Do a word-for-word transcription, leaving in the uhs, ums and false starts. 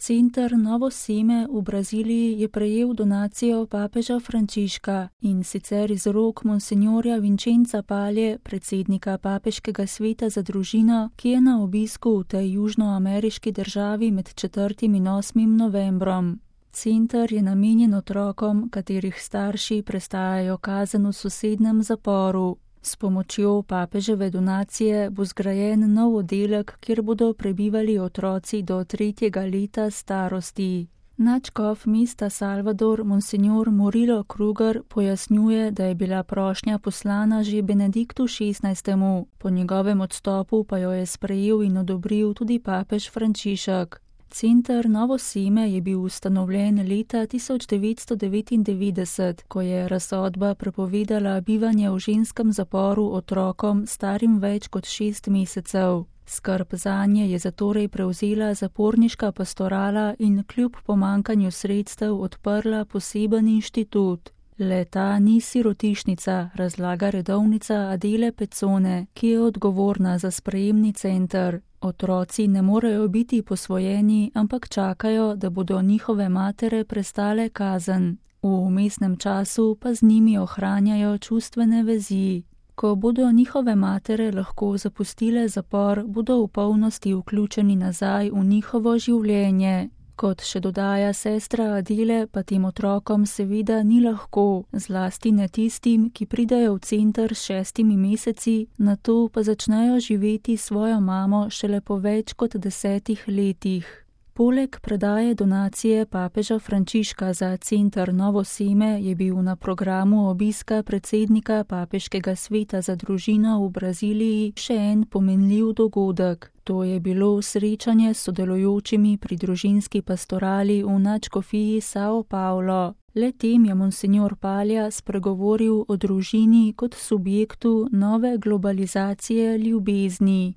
Center Novo Seme v Braziliji je prejel donacijo papeža Frančiška, in sicer iz rok monsinjorja Vincenza Palje, predsednika Papeškega sveta za družino, ki je na obisku v tej južnoameriški državi med četrtim in osmim novembrom. Center je namenjen otrokom, katerih starši prestajajo kazen v sosednjem zaporu. S pomočjo papeževe donacije bo zgrajen nov oddelek, kjer bodo prebivali otroci do tretjega leta starosti. Nadškof mesta Salvador, monsinjor Murilo Kruger, pojasnjuje, da je bila prošnja poslana že Benediktu šestnajstemu, po njegovem odstopu pa jo je sprejel in odobril tudi papež Frančišek. Center Novo Seme je bil ustanovljen leta tisoč devetsto devetindevetdeset, ko je razsodba prepovedala bivanje v ženskem zaporu otrokom starim več kot šest mesecev. Skrb zanje je zatorej prevzela zaporniška pastorala in kljub pomankanju sredstev odprla poseben inštitut. Le ta ni sirotišnica, razlaga redovnica Adele Pecone, ki je odgovorna za sprejemni center. Otroci ne morejo biti posvojeni, ampak čakajo, da bodo njihove matere prestale kazen. V vmesnem času pa z njimi ohranjajo čustvene vezi. Ko bodo njihove matere lahko zapustile zapor, bodo v polnosti vključeni nazaj v njihovo življenje. Kot še dodaja sestra Adele, pa tem otrokom seveda ni lahko, zlasti ne tistim, ki pridejo v center s šestimi meseci, nato pa začnejo živeti svojo mamo šele po več kot desetih letih. Poleg predaje donacije papeža Frančiška za Center Novo Seme je bil na programu obiska predsednika Papeškega sveta za družino v Braziliji še en pomenljiv dogodek. To je bilo srečanje s sodelujočimi pri družinski pastorali v nadškofiji São Paulo. Le tem je monsinjor Palja spregovoril o družini kot subjektu nove globalizacije ljubezni.